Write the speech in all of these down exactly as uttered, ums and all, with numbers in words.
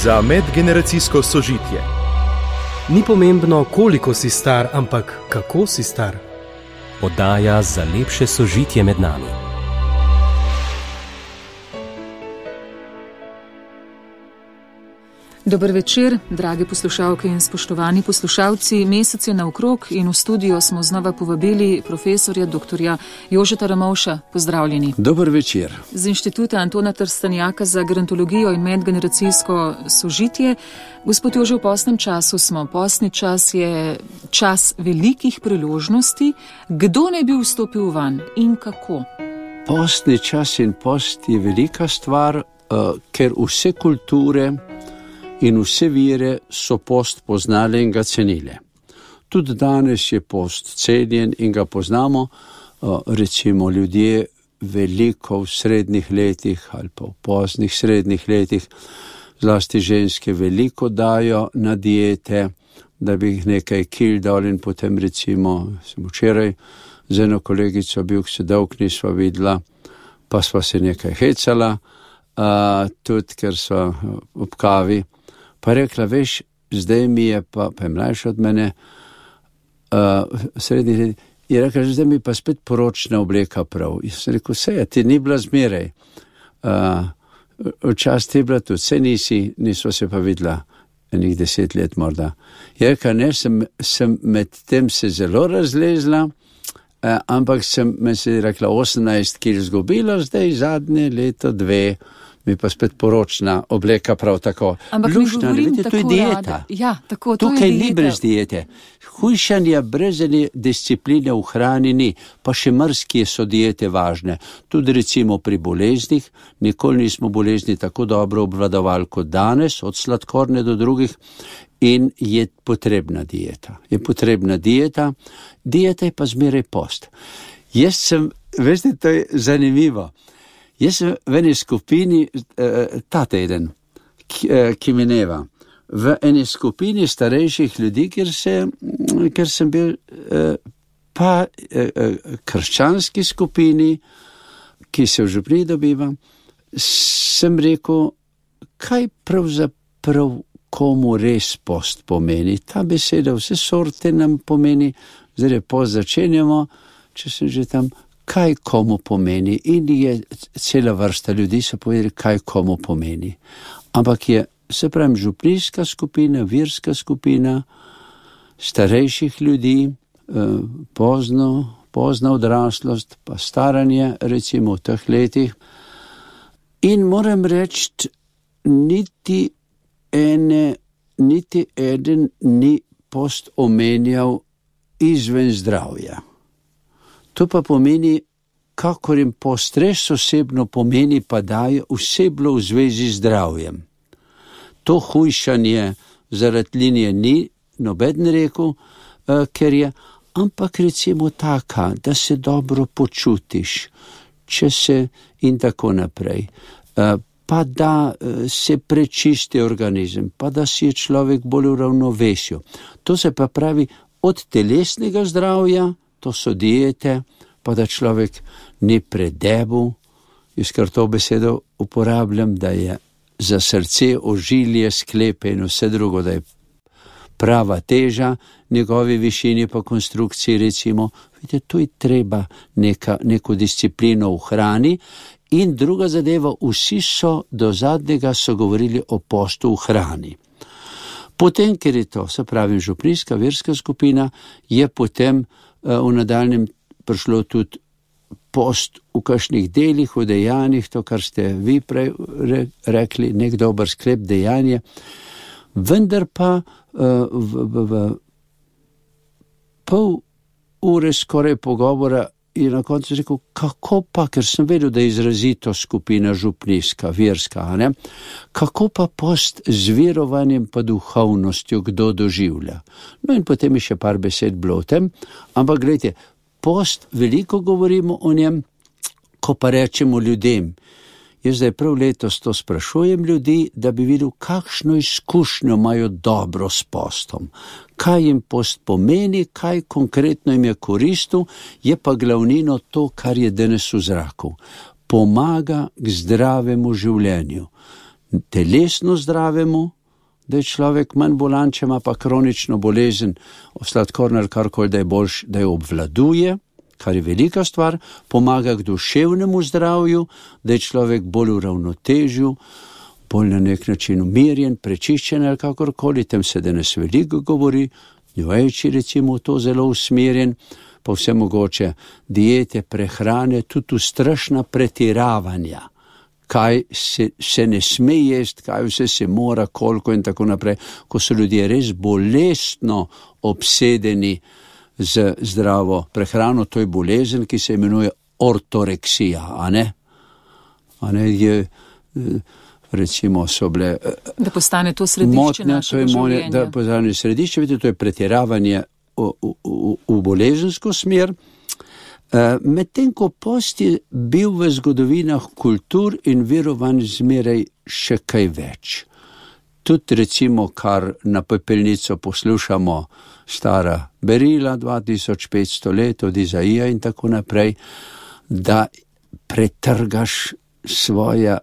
za medgeneracijsko sožitje. Ni pomembno, koliko si star, ampak kako si star. Oddaja za lepše sožitje med nami. Dober večer, drage poslušalke in spoštovani poslušalci. Mesec je naokrog in v studio smo znova povabili profesorja doktorja Jožeta Ramovša. Pozdravljeni. Dober večer. Z Inštituta Antona Trstenjaka za gerontologijo in medgeneracijsko sožitje. Gospod Jože, v postnem času smo. Postni čas je čas velikih priložnosti. Kdo ne bi vstopil van in kako? Postni čas in post je velika stvar, uh, ker vse kulture in vse vire so post poznali in ga cenile. Tudi danes je post cenjen in ga poznamo, recimo ljudje veliko v srednjih letih ali pa v poznih srednjih letih, zlasti ženske veliko dajo na diete, da bi jih nekaj kil dal in potem recimo, sem včeraj z eno kolegico bil, se dolg nisva videla, pa sva se nekaj hecala, uh, tudi ker sva ob kavi, pa rekla, veš, zdaj mi je pa, pa je mlajša od mene, uh, srednji let, je rekla, zdaj mi pa spet poročna obleka prav. In sem rekel, vse je, ti ni bila zmeraj. Uh, včas ti je bila tudi, vse nisi, nisva se pa videla enih deset let morda. Je rekla, ne, sem, sem med tem se zelo razlezla, uh, ampak sem, me se je rekla, osemnajst kil zgubila, zdaj zadnje leto dve, mi pa spet poročna obleka prav tako. Ampak Lušna, ne vidite, to je dieta. Ja, tako, to Tukaj je ni brez diete. Hujšanja brez discipline v hrani ni, pa še mrskje so diete važne. Tudi recimo pri boleznih, nikoli nismo bolezni tako dobro obvladovali kot danes, od sladkorne do drugih, in je potrebna dieta. Je potrebna dieta, dieta je pa zmeraj post. Jaz sem, veste, to je zanimivo. Jaz sem v eni skupini, eh, ta teden, ki, eh, ki mineva, v eni skupini starejših ljudi, kjer, se, kjer sem bil, eh, pa eh, krščanski skupini, ki se v župni dobiva, sem rekel, kaj pravzaprav komu res post pomeni. Ta beseda vse sorte nam pomeni, zdaj post začenjamo, če sem že tam, kaj komu pomeni, in je cela vrsta ljudi so povedali, kaj komu pomeni. Ampak je, se pravim, župnijska skupina, virska skupina, starejših ljudi, pozno, pozna odraslost, pa staranje, recimo v teh letih. In moram reči, niti ene, niti eden ni post omenjal izven zdravja. To pa pomeni, kakor jim postres osebno pomeni, pa daje osebno v zvezi z zdravjem. To hujšanje zaradi linije ni, noben rekel, uh, ker je, ampak recimo taka, da se dobro počutiš, če se in tako naprej, uh, pa da uh, se prečisti organizem, pa da si je človek bolj v ravnovesju. To se pa pravi od telesnega zdravja, to so diete, pa da človek ni predebil, jaz kar to besedo uporabljam, da je za srce, ožilje, sklepe in vse drugo, da je prava teža njegovi višini pa konstrukciji, recimo, vidite, to je treba neka, neko disciplino v hrani. In druga zadeva, vsi so do zadnjega so govorili o postu v hrani. Potem, ker je to, se pravi, župnijska, verska skupina, je potem uh, v nadaljnjem prišlo tudi post v kakšnih delih, v dejanjih, to, kar ste vi prej re, rekli, nek dober sklep dejanje. Vendar pa uh, v, v, v pol ure skoraj pogovora je na koncu rekel, kako pa, ker sem vedel, da je izrazito skupina župnijska, verska, ne? Kako pa post z verovanjem pa duhovnostjo kdo doživlja. No in potem je še par besed bilo o tem, ampak gledajte, post, veliko govorimo o njem, ko pa rečemo ljudem. Jaz zdaj prav letos to sprašujem ljudi, da bi videl, kakšno izkušnjo imajo dobro s postom. Kaj jim post pomeni, kaj konkretno jim je koristil, je pa glavnino to, kar je danes v zraku. Pomaga k zdravemu življenju. telesno zdravemu, da je človek manj bolan, če ima pa kronično bolezen, sladkorno ali karkoli, da je boljš, da jo obvladuje, kar je velika stvar, pomaga k duševnemu zdravju, da je človek bolj v ravnotežju, bolj na nek način umirjen, prečiščen ali kakorkoli, tem se danes veliko govori, njoveči recimo to zelo usmerjen, pa vse mogoče diete, prehrane, tudi strašna pretiravanja, kaj se, se ne sme jesti, kaj vse se mora, koliko in tako naprej, ko so ljudje res bolestno obsedeni z zdravo prehrano, to je bolezen, ki se imenuje ortoreksija, a ne? A ne, je, recimo so bile... Da postane to središče motnja, našega to je moje, življenja. Da postane središče, vidite, to je pretiravanje v, v, v, v bolezensko smer. Medtem ko post je bil v zgodovinah kultur in verovanj zmeraj še kaj več. Tudi recimo, kar na pepelnico poslušamo, stara berila, dva tisoč petsto let od Izaija in tako naprej, da pretrgaš svoja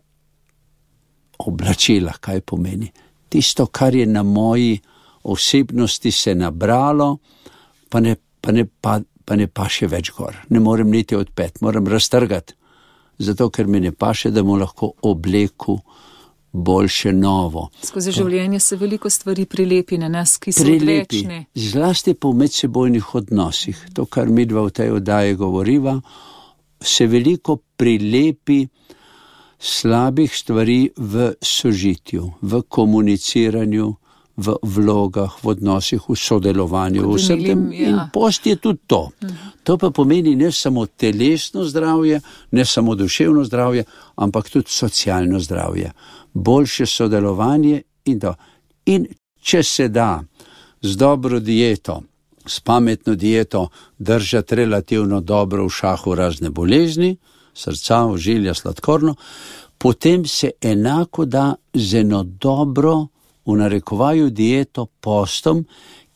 oblačila, kaj pomeni. Tisto, kar je na moji osebnosti se nabralo, pa ne, pa ne, pa, pa ne paše več gor. Ne morem niti odpet, moram raztrgati, zato ker mi ne paše, da mu lahko obleku boljše novo. Skozi življenje se veliko stvari prilepi na nas, ki so prilepi, odvečne. Zlasti po medsebojnih odnosih. To, kar mi dva v tej oddaji govoriva, se veliko prilepi slabih stvari v sožitju, v komuniciranju, v vlogah, v odnosih, v sodelovanju, v vsem tem. Ja. In post je tudi to. To pa pomeni ne samo telesno zdravje, ne samo duševno zdravje, ampak tudi socialno zdravje. Boljše sodelovanje in to. In če se da z dobro dieto, s pametno dieto držati relativno dobro v šahu razne bolezni, srca, ožilja, sladkorno, potem se enako da z eno dobro, v narekovaju dieto postom,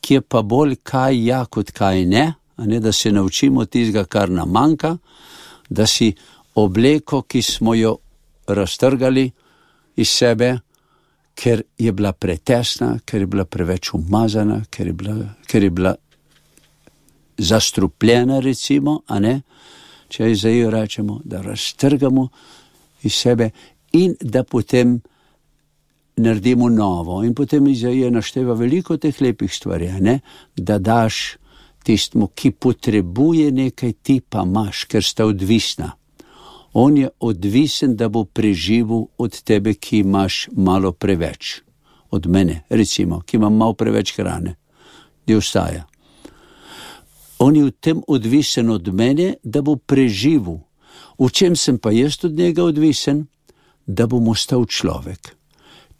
ki je pa bolj kaj ja, kot kaj ne, a ne, da se naučimo tistega, kar nam manjka, da si obleko, ki smo jo raztrgali iz sebe, ker je bila pretesna, ker je bila preveč umazana, ker je bila, ker je bila zastrupljena, recimo, a ne, če Izaijo rečemo, da raztrgamo iz sebe in da potem naredimo novo. In potem Izaija našteva veliko teh lepih stvari, ne? Da daš tistmu, ki potrebuje nekaj, ti pa imaš, ker sta odvisna. On je odvisen, da bo preživel od tebe, ki imaš malo preveč. Od mene, recimo, ki imam malo preveč hrane. Di ostaja. On je v tem odvisen od mene, da bo preživel. V čem sem pa jaz od njega odvisen? Da bom ostal človek.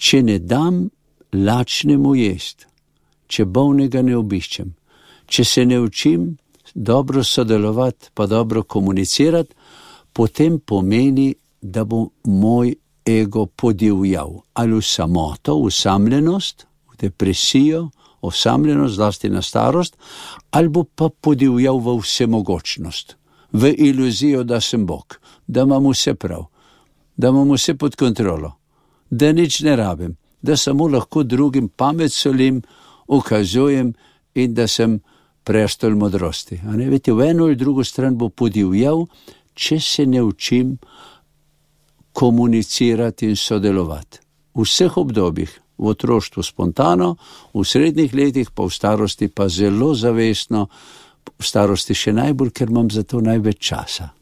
Če ne dam lačnemu jest, če bolnega ne obiščem, če se ne učim dobro sodelovati, pa dobro komunicirati, potem pomeni, da bo moj ego podivjal. Ali v samoto, v osamljenost, v depresijo, osamljenost, zlasti na starost, ali bo pa podivjal v vsemogočnost, v iluzijo, da sem Bog, da imam vse prav, da imam vse pod kontrolo, da nič ne rabim, da samo lahko drugim pamet solim, ukazujem in da sem prestol modrosti. A ne, vete, v eno ali drugo stran bo podivjal, če se ne učim komunicirati in sodelovati. V vseh obdobjih, v otroštvu spontano, v srednjih letih, pa v starosti pa zelo zavestno, v starosti še najbolj, ker imam za to največ časa.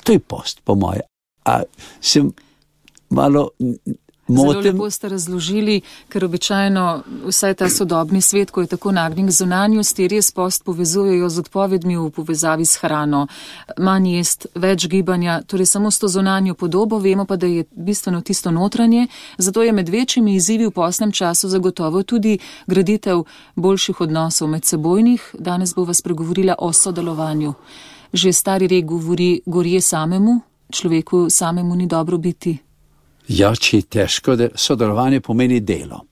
To je post, po moje. A sem malo... Zelo lepo ste razložili, ker običajno vsaj ta sodobni svet, ko je tako nagnjen k zunanjosti, res post povezujejo z odpovedmi v povezavi s hrano. Manj jest, več gibanja, torej samo s to zunanjo podobo, vemo pa, da je bistveno tisto notranje, zato je med večjimi izzivi v postnem času zagotovo tudi graditev boljših odnosov med sebojnih. Danes bo vas pregovorila o sodelovanju. Že stari rek govori, gorje samemu, človeku samemu ni dobro biti. Ja, če je težko, da sodelovanje pomeni delo.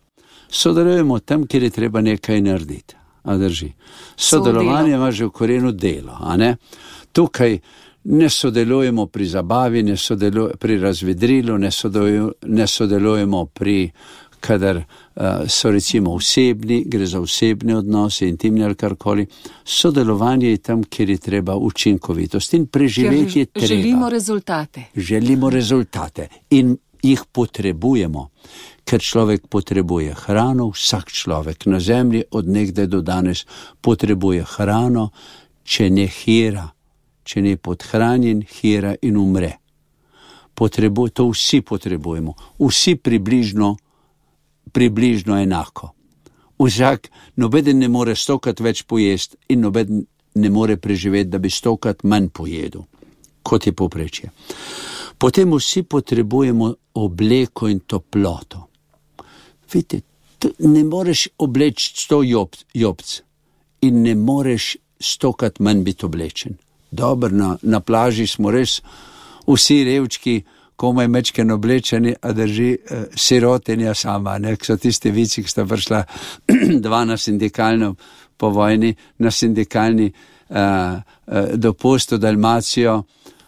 Sodelujemo tam, kjer je treba nekaj narediti. A drži. Sodelovanje ima že v korenu delo, a ne? Tukaj ne sodelujemo pri zabavi, ne sodelujemo pri razvedrilu, ne sodelujemo, ne sodelujemo pri, kadar uh, so recimo osebni, gre za osebne odnose, intimne ali karkoli. Sodelovanje je tam, kjer je treba učinkovitost in preživeti je treba. Želimo rezultate. Želimo rezultate in jih potrebujemo, ker človek potrebuje hrano, vsak človek na zemlji od nekdaj do danes potrebuje hrano, če ne hira, če ne podhranjen, hira in umre. Potrebu, to vsi potrebujemo, vsi približno, približno enako. Vsak, nobeden ne more stokrat več pojesti in nobeden ne more preživeti, da bi stokrat manj pojedel, kot je povprečje. Potem vsi potrebujemo obleko in toploto. Vidite, ne moreš obleči sto jobc, jobc in ne moreš stokrat manj biti oblečen. Dobro, na, na plaži smo res vsi revčki, komaj mečken oblečeni, a drži eh, sirotinja sama, ne, so tiste vici, ki sta prišla dva na sindikalno po vojni, na sindikalni eh, eh, dopust v Dalmacijo,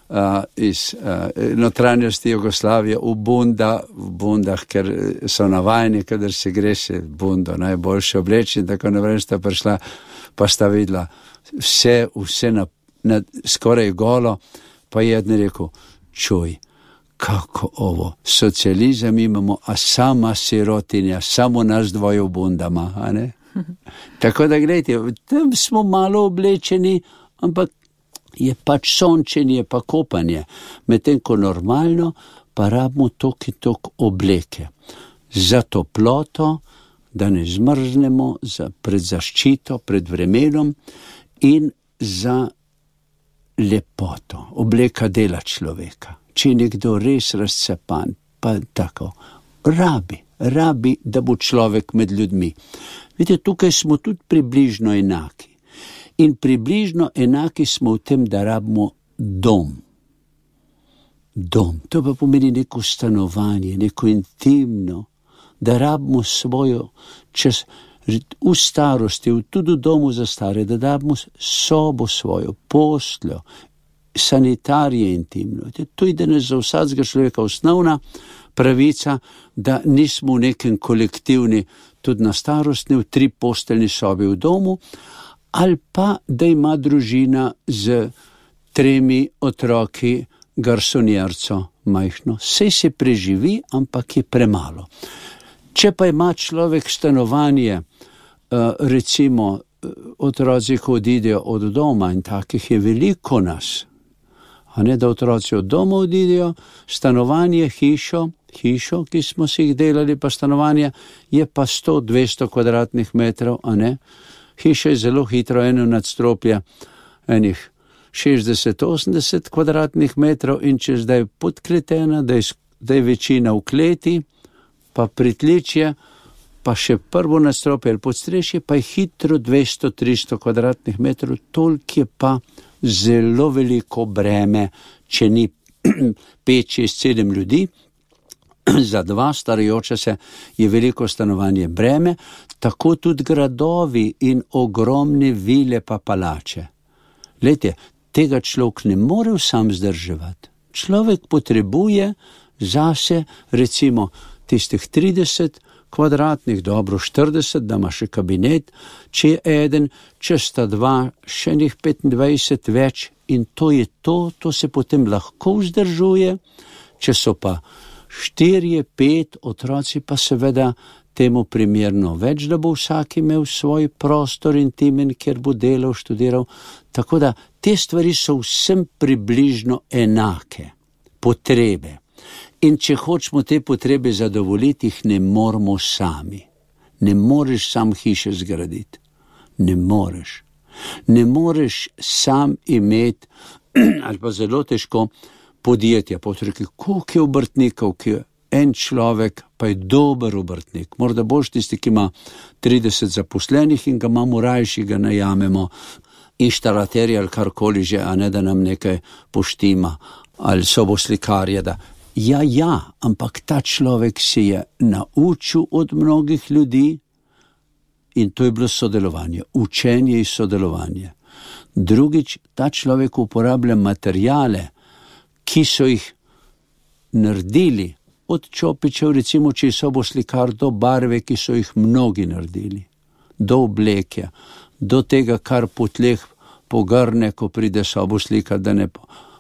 Uh, iz uh, notranjosti Jugoslavije v bunda, v bundah, ker so navajeni, kadar se gre se bundo najboljše obleči, in tako naprej sta prišla, pa sta videla vse, vse na, na, skoraj golo, pa je jedan rekel, čuj, kako ovo, socializem imamo, a sama sirotinja, samo nas dvoje v bundama, a ne? Tako da gledajte, tam smo malo oblečeni, ampak je pač sončenje, pa kopanje, medtem ko normalno pa rabimo tok in tok obleke. Za toploto, da ne zmrznemo, za pred zaščito, pred vremenom in za lepoto. Obleka dela človeka. Če je nekdo res razcapan, pa tako, rabi, rabi, da bo človek med ljudmi. Vidite, tukaj smo tudi približno enaki. In približno enaki smo v tem, da rabimo dom. Dom, to pa pomeni neko stanovanje, neko intimno, da rabimo svojo, čez, v starosti, tudi v domu za stare, da rabimo sobo svojo, posteljo, sanitarije intimno. To je danes za vsakega človeka osnovna pravica, da nismo v nekem kolektivni, tudi na starostni, v tri posteljni sobi v domu, ali pa, da ima družina z tremi otroki garsonjerco majhno. Sej se preživi, ampak je premalo. Če pa ima človek stanovanje, recimo otroci odidejo od doma in takih je veliko nas, a ne da otroci od doma odidejo, stanovanje, hišo, hišo, ki smo si jih delali, pa stanovanje je pa sto do dvesto kvadratnih metrov, a ne? Hiša je zelo hitro, eno nadstropje, enih šestdeset do osemdeset kvadratnih metrov in če zdaj podkletena, da je, da je večina v kleti, pa pritličje, pa še prvo nadstropje ali podstrešje, pa je hitro dvesto do tristo kvadratnih metrov, toliko je pa zelo veliko breme, če ni pet, šest, sedem ljudi, za dva starajoča se je veliko stanovanje breme, tako tudi gradovi in ogromne vile pa palače. Glejte, tega človek ne more sam zdrževati. Človek potrebuje zase recimo tistih trideset kvadratnih, dobro štirideset, da ima še kabinet, če je eden, če sta dva, še njih petindvajset več in to je to, to se potem lahko vzdržuje, če so pa štirje, pet otroci pa seveda temu primerno več, da bo vsak imel svoj prostor intimen, kjer bo delal, študiral. Tako da te stvari so vsem približno enake potrebe. In če hočemo te potrebe zadovoljiti, jih ne moramo sami. Ne moreš sam hiše zgraditi. Ne moreš. Ne moreš sam imeti, ali pa zelo težko, podjetja, potreki, koliko je obrtnikov, ki je en človek, pa je dober obrtnik. Morda boš tisti, ki ima trideset zaposlenih in ga imamo rajši, ga najamemo, inštalaterje ali karkoli že, a ne da nam nekaj poštima, ali soboslikarje, da ja, ja, ampak ta človek se je naučil od mnogih ljudi in to je bilo sodelovanje, učenje in sodelovanje. Drugič, ta človek uporablja materijale, ki so jih naredili, od čopičev, recimo, če so bo slikar, do barve, ki so jih mnogi naredili, do oblekja, do tega, kar po tleh pogrne, ko pride sobo slikar, da ne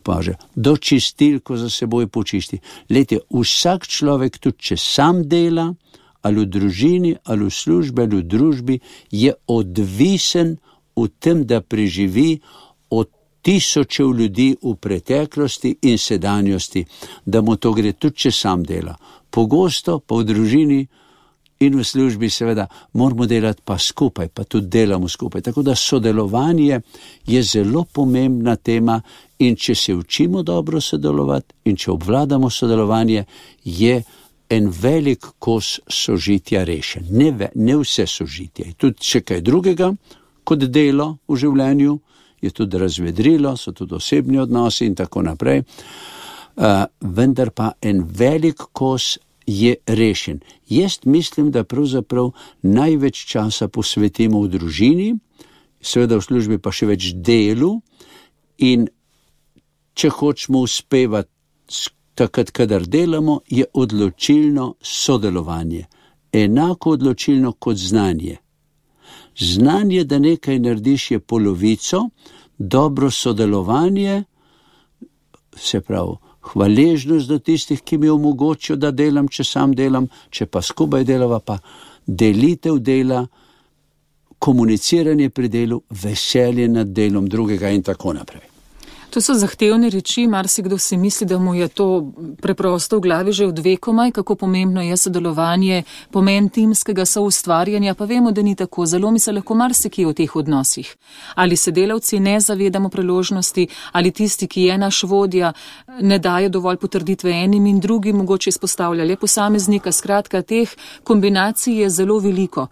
paže, do čistil, ko za seboj počisti. Lejte, vsak človek, tudi če sam dela, ali v družini, ali v službi, ali v družbi, je odvisen v tem, da preživi od tisočev ljudi v preteklosti in sedanjosti, da mu to gre tudi, če sam dela. Pogosto pa v družini in v službi seveda moramo delati pa skupaj, pa tudi delamo skupaj. Tako da sodelovanje je zelo pomembna tema in če se učimo dobro sodelovati in če obvladamo sodelovanje, je en velik kos sožitja rešen. Ne, ve, ne vse sožitje. Tudi še kaj drugega kot delo v življenju, je tudi razvedrilo, so tudi osebni odnosi in tako naprej. Uh, vendar pa en velik kos je rešen. Jaz mislim, da pravzaprav največ časa posvetimo v družini, seveda v službi pa še več delu, in če hočemo uspevati takrat, kadar delamo, je odločilno sodelovanje. Enako odločilno kot znanje. Znanje, da nekaj narediš, je polovico, dobro sodelovanje, se pravi, hvaležnost do tistih, ki mi omogočijo, da delam, če sam delam, če pa skupaj delava, pa delitev dela, komuniciranje pri delu, veselje nad delom drugega in tako naprej. To so zahtevne reči, marsikdo si misli, da mu je to preprosto v glavi že od vekomaj, kako pomembno je sodelovanje, pomen timskega soustvarjanja, pa vemo, da ni tako, zelo mi se lahko marsikje v teh odnosih. Ali se delavci ne zavedamo priložnosti, ali tisti, ki je naš vodja, ne daje dovolj potrditve enim in drugim, mogoče izpostavlja le posameznika, skratka, teh kombinacij je zelo veliko.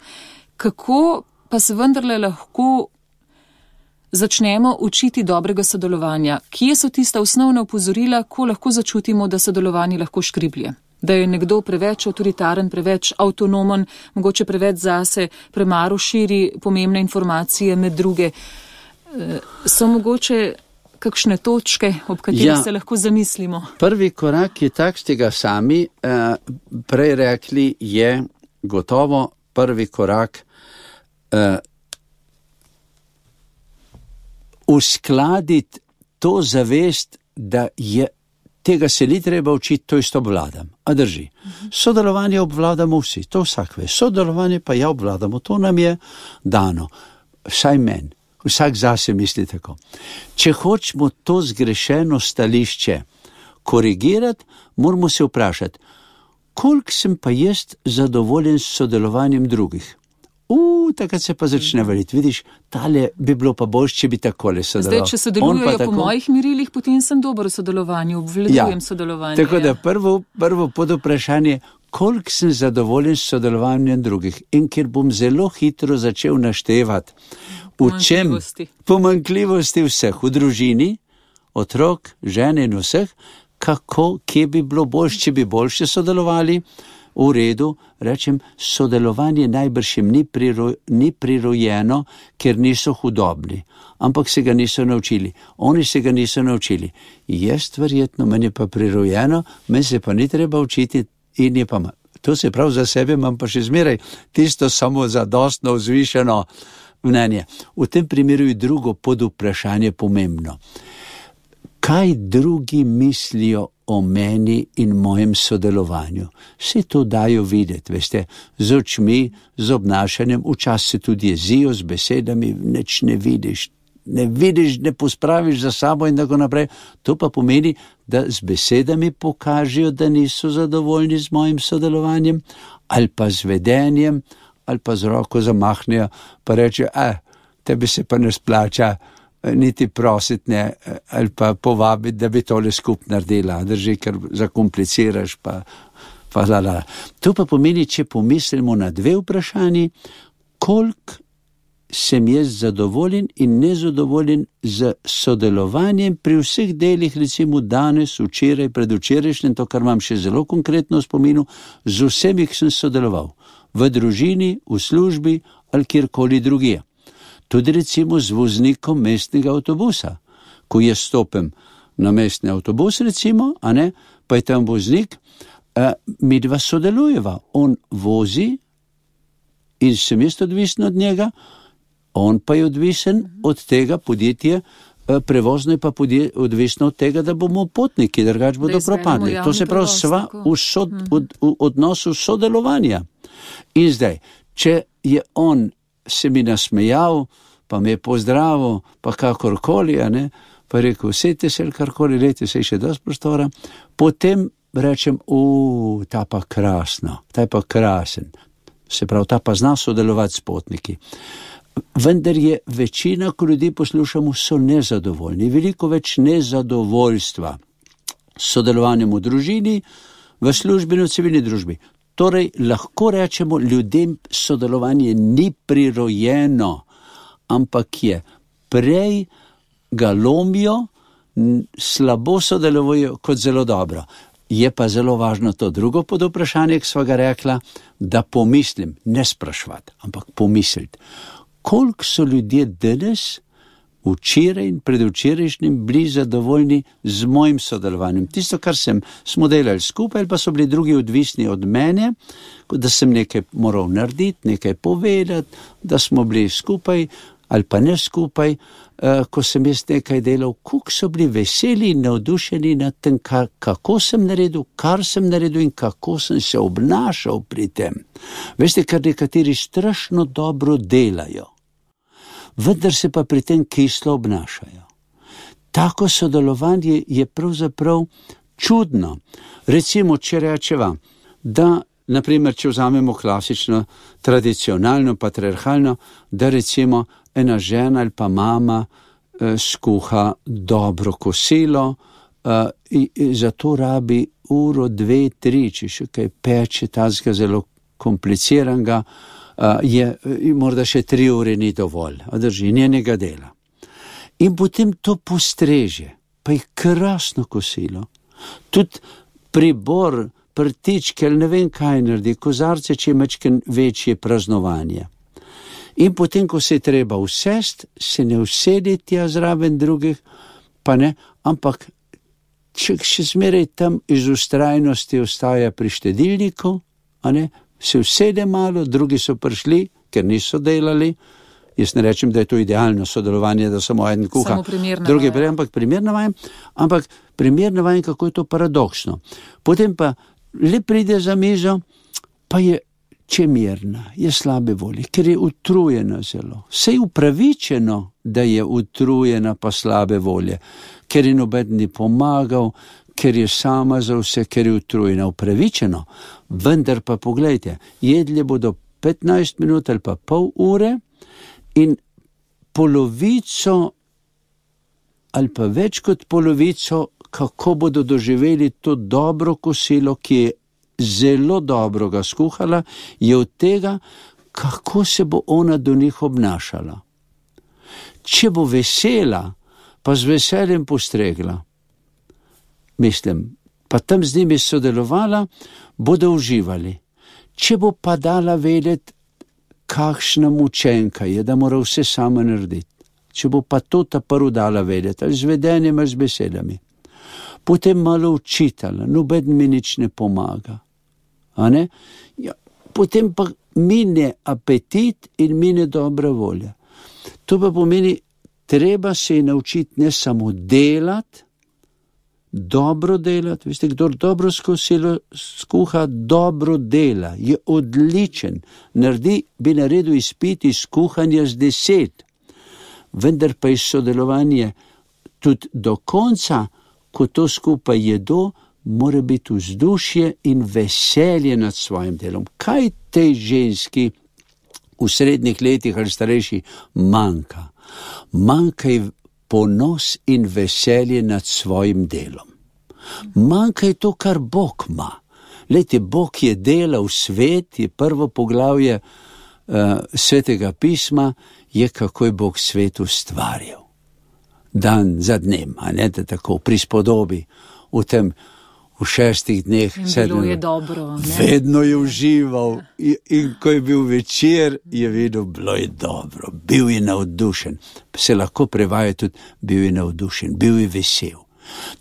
Kako pa se vendarle lahko začnemo učiti dobrega sodelovanja? Kje so tista osnovna opozorila, ko lahko začutimo, da sodelovanje lahko škriblje? Da je nekdo preveč avtoritaren, preveč avtonomen, mogoče preveč zase, premalo širi pomembne informacije med druge. So mogoče kakšne točke, ob katerih ja, se lahko zamislimo? Prvi korak je tak, ste ga sami eh, prej rekli, je gotovo prvi korak eh, uskladiti to zavest, da je, tega se ni treba učiti, to isto obvladam. A drži. Sodelovanje obvladamo vsi, to vsak ve. Sodelovanje pa ja obvladamo, to nam je dano. Vsaj meni, vsak zase misli tako. Če hočemo to zgrešeno stališče korigirati, moramo se vprašati, koliko sem pa jaz zadovoljen s sodelovanjem drugih. U, takrat se pa začne valiti. Vidiš, tale bi bilo pa boljše, če bi takole sodeloval. Zdaj, če sodelujejo po tako... mojih merilih, potem sem dober v sodelovanju, obvladujem ja, sodelovanje. Tako da ja. prvo, prvo pod vprašanje, koliko sem zadovoljen s sodelovanjem drugih. In ker bom zelo hitro začel naštevati, v čem pomanjkljivosti vseh, v družini, otrok, žene in vseh, kako, kje bi bilo boljše, če bi boljše sodelovali, v redu, rečem, sodelovanje najbrž jim ni, priro, ni prirojeno, ker niso hudobni, ampak se ga niso naučili. Oni se ga niso naučili. Jaz verjetno, meni je pa prirojeno, meni se pa ni treba učiti in je pa, to se prav za sebe, imam pa še zmeraj tisto samo zadostno vzvišeno mnenje. V tem primeru je drugo pod vprašanje pomembno. Kaj drugi mislijo o meni in mojem sodelovanju? Vse to dajo videti, veste, z očmi, z obnašanjem, včasih se tudi jezijo z besedami, nič ne vidiš, ne vidiš, ne pospraviš za sabo in tako naprej. To pa pomeni, da z besedami pokažejo, da niso zadovoljni z mojim sodelovanjem, ali pa z vedenjem, ali pa z roko zamahnejo, pa reče, eh, tebi se pa ne splača, niti prositi ne, ali pa povabiti, da bi tole skup naredila, drži, ker zakompliciraš, pa, pa la, la. To pa pomeni, če pomislimo na dve vprašanji, koliko sem jaz zadovoljen in nezadovoljen z sodelovanjem pri vseh delih, recimo danes, včeraj, predvčerajšnjem, to, kar imam še zelo konkretno v spominu, z vsemi, ki sem sodeloval, v družini, v službi ali kjerkoli drugje. Tudi recimo z voznikom mestnega avtobusa. Ko jaz stopim na mestni avtobus recimo, a ne, pa je tam voznik, eh, mi dva sodelujeva. On vozi in sem jaz odvisen od njega, on pa je odvisen od tega podjetja, prevozno je pa podje, odvisno od tega, da bomo potniki, drugače bodo propadli. To se pravi sva v, sod, v, v odnosu sodelovanja. In zdaj, če je on se mi nasmejal, pa me je pozdravil, pa kakorkoli, a ne, pa je rekel, sejte se, karkoli, lejte se še dosti prostora, potem rečem, u, ta pa krasno, ta pa krasen. Se pravi, ta pa zna sodelovati s potniki. Vendar je večina, ko ljudi poslušamo, so nezadovoljni. Veliko več nezadovoljstva s sodelovanjem v družini, v službi in v civilni družbi. Torej, lahko rečemo, ljudem sodelovanje ni prirojeno, ampak je prej ga lomijo, slabo sodelujejo kot zelo dobro. Je pa zelo važno to drugo podvprašanje, ki sva ga rekla, da pomislim, ne sprašvati, ampak pomisliti. Koliko so ljudje danes, včeraj in predvčerajšnjim, bili zadovoljni z mojim sodelovanjem. Tisto, kar sem, smo delali skupaj, ali pa so bili drugi odvisni od mene, da sem nekaj moral narediti, nekaj povedati, da smo bili skupaj ali pa ne skupaj, ko sem jaz nekaj delal, koliko so bili veseli in navdušeni nad tem, kako sem naredil, kar sem naredil in kako sem se obnašal pri tem. Veste, kar nekateri strašno dobro delajo, vendar se pa pri tem kislo obnašajo. Tako sodelovanje je pravzaprav čudno. Recimo, če rečeva, da, naprimer, če vzamemo klasično, tradicionalno, patriarhalno, da recimo ena žena ali pa mama eh, skuha dobro kosilo, eh, in, in zato rabi uro, dve, tri, če še kaj peče, tazga zelo kompliciranega, Uh, je, morda še tri ure ni dovolj, a drži, njenega dela. In potem to postreže, pa je krasno kosilo. Tudi pribor, prtičke, ali ne vem kaj naredi, kozarce, če je mečken večje praznovanje. In potem, ko se je treba usest, se ne usedi tja zraven drugih, pa ne, ampak če še zmeraj tam iz ustrajnosti ostaja pri štedilniku, a ne, se usede malo, drugi so prišli, ker niso delali. Jaz ne rečem, da je to idealno sodelovanje, da samo en kuha, drugi prej, ampak primerno vajem, ampak primerno vajem, kako je to paradoksno. Potem pa le pride za mizo, pa je čemerna, je slabe volje, ker je utrujena zelo. Sej upravičeno, da je utrujena pa slabe volje, ker je noben ni pomagal, ker je sama za vse, ker je utrujena, upravičeno. Vendar pa poglejte, jedli bodo petnajst minut ali pa pol ure in polovico ali pa več kot polovico, kako bodo doživeli to dobro kosilo, ki je zelo dobro ga skuhala, je od tega, kako se bo ona do njih obnašala. Če bo vesela, pa z veseljem postregla, mislim, pa tam z njimi sodelovala, bodo uživali. Če bo pa dala vedeti, kakšna mučenka je, da mora vse sama narediti. Če bo pa to ta prvo dala vedeti, ali z vedenjem, ali z besedami. Potem malo učitala, noben mi nič ne pomaga. A ne? Ja, potem pa mine apetit in mine dobra volja. To pa pomeni, treba se je naučiti ne samo delati, dobro delati, veste, kdor dobro skosilo skuha, dobro dela, je odličen, naredi, bi naredil izpit iz kuhanja z deset, vendar pa iz sodelovanja tudi do konca, ko to skupaj jedo, mora biti vzdušje in veselje nad svojim delom. Kaj tej ženski v srednjih letih ali starejši manjka? Manjka je ponos in veselje nad svojim delom. Manjka je to, kar Bog ima. Lejte, Bog je delal svet, je prvo poglavje uh, svetega pisma, je kako je Bog svet ustvarjal. Dan za dnem, a ne da tako, prispodobi v tem v šestih dneh. In bilo je dobro. Ne? Vedno je užival in, in ko je bil večer, je vedel, bilo je dobro, bil je navdušen. Se lahko prevaja tudi, bil je navdušen, bil je vesel.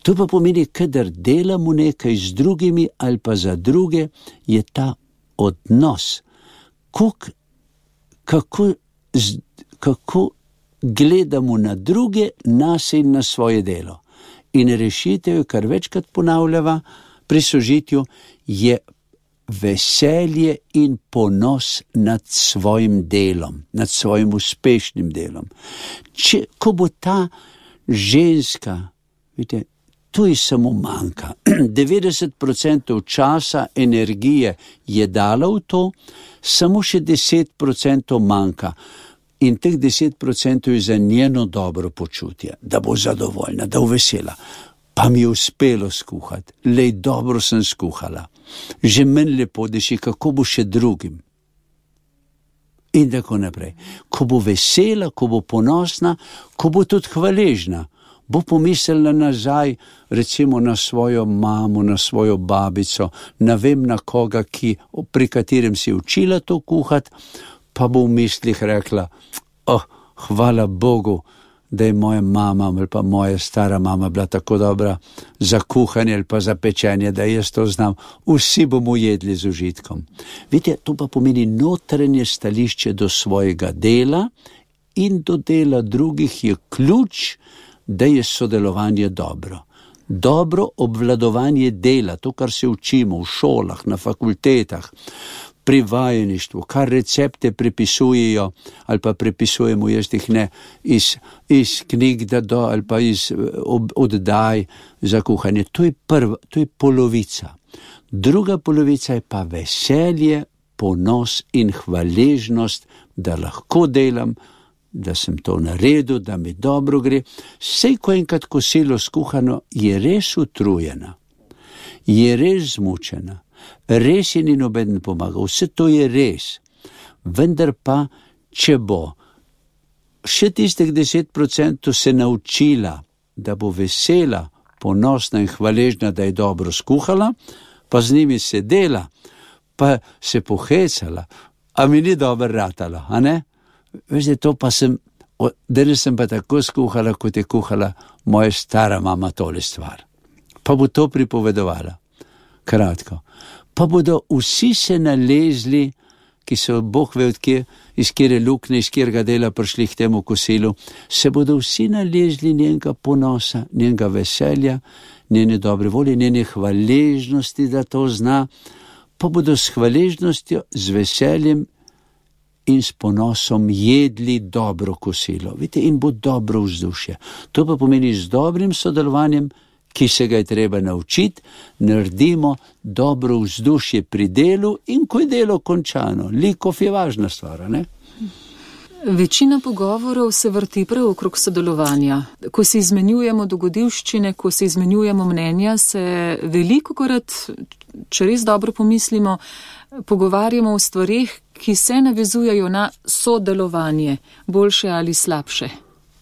To pa pomeni, kadar delamo nekaj z drugimi ali pa za druge, je ta odnos, kuk, kako, kako gledamo na druge, nas in na svoje delo. In rešitev, kar večkrat ponavljava pri sožitju, je veselje in ponos nad svojim delom, nad svojim uspešnim delom. Če, ko bo ta ženska, vidite, to je samo manjka. devetdeset procentov časa, energije je dala v to, samo še deset procentov manjka. In teh deset procentov je za njeno dobro počutje, da bo zadovoljna, da bo vesela. Pa mi je uspelo skuhati, lej, dobro sem skuhala. Že meni lepo deši, kako bo še drugim. In tako naprej. Ko bo vesela, ko bo ponosna, ko bo tudi hvaležna, bo pomislila nazaj, recimo na svojo mamo, na svojo babico, ne vem na koga, ki, pri katerem si učila to kuhati, pa bo v mislih rekla, oh, hvala Bogu, da je moja mama ali pa moja stara mama bila tako dobra za kuhanje ali pa za pečenje, da jaz to znam. Vsi bomo jedli z užitkom. Vidite, to pa pomeni notranje stališče do svojega dela in do dela drugih je ključ, da je sodelovanje dobro. Dobro obvladovanje dela, to, kar se učimo v šolah, na fakultetah, pri vajeništvu, kar recepte prepisujejo ali pa prepisujemo, jaz jih ne, iz, iz knjig da do, ali pa iz ob, oddaj za kuhanje. To je prva, to je polovica. Druga polovica je pa veselje, ponos in hvaležnost, da lahko delam, da sem to naredil, da mi dobro gre. Sej, ko enkrat kosilo skuhano, je res utrujena, je res zmučena. Res je ni noben pomagal, vse to je res, vendar pa, če bo še tistih deset procentov se naučila, da bo vesela, ponosna in hvaležna, da je dobro skuhala, pa z njimi sedela, pa se pohecala, a mi ni dobro ratalo, a ne? Veste, to pa sem, danes sem pa tako skuhala, kot je kuhala moja stara mama tole stvar. Pa bo to pripovedovala. Kratko. Pa bodo vsi se nalezli, ki so Bog ve od kje, iz kjere lukne, iz kjerega dela prišli k temu kosilu, se bodo vsi nalezli njenega ponosa, njenega veselja, njene dobre volje, njene hvaležnosti, da to zna, pa bodo s hvaležnostjo, z veseljem in s ponosom jedli dobro kosilo. Vidite, in bo dobro vzdušje. To pa pomeni z dobrim sodelovanjem, ki se ga je treba naučiti, naredimo dobro vzdušje pri delu in ko je delo končano. Likov je važna stvar, ne? Večina pogovorov se vrti prav okrog sodelovanja. Ko se izmenjujemo dogodivščine, ko se izmenjujemo mnenja, se velikokrat, če res dobro pomislimo, pogovarjamo o stvarih, ki se navezujejo na sodelovanje, boljše ali slabše.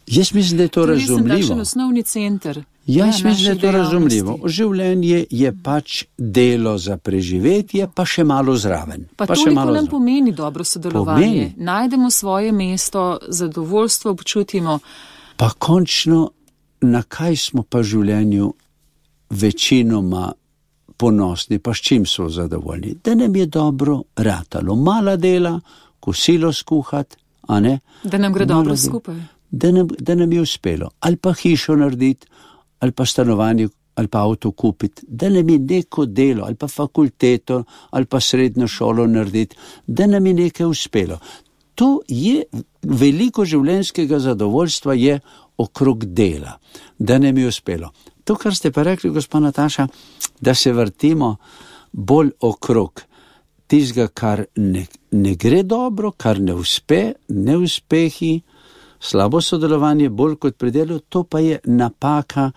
Jaz mislim, da je to razumljivo. To je takšen osnovni center. Ja, jaz mislim, da je to razumljivo. Življenje je pač delo za preživetje, pa še malo zraven. Pa, pa toliko nam zraven. Pomeni dobro sodelovanje. Pomeni. Najdemo svoje mesto, zadovoljstvo občutimo. Pa končno, na kaj smo pa v življenju večinoma ponosni, pa s čim so zadovoljni? Da nam je dobro ratalo. Mala dela, kosilo skuhati, a ne? Da nam gre dobro skupaj. Da nam, da nam je uspelo. Ali pa hišo narediti, ali pa stanovanje, ali pa avto kupiti, da nam je neko delo, ali pa fakulteto, ali pa srednjo šolo narediti, da nam je nekaj uspelo. To je, veliko življenjskega zadovoljstva je okrog dela, da nam je uspelo. To, kar ste pa rekli, gospa Nataša, da se vrtimo bolj okrog tistega, kar ne, ne gre dobro, kar ne uspe, neuspehi, slabo sodelovanje, bolj kot pri delu, to pa je napaka,